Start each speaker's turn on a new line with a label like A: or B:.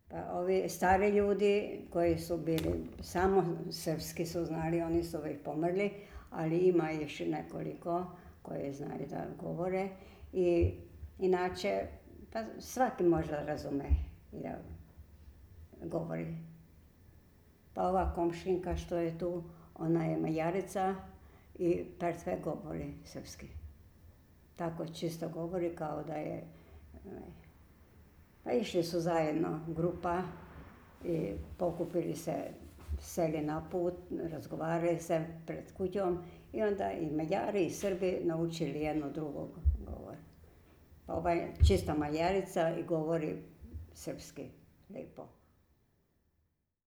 A: Pa ovi stari ljudi koji su bili samo srpski su znali, oni su već pomrli, ali ima još nekoliko koji znaju da govore. I inače, pa svaki možda razume i da govori. Pa ova komšinka što je tu, ona je Mađarica i perfekt govori srpski. Tako čisto govori kao da je... Pa išli su zajedno, grupa, i pokupili se, seli na put, razgovarali se pred kućom i onda i Mađari i Srbi naučili jedno drugog govor. Pa ova je čista Mađarica i govori srpski lijepo.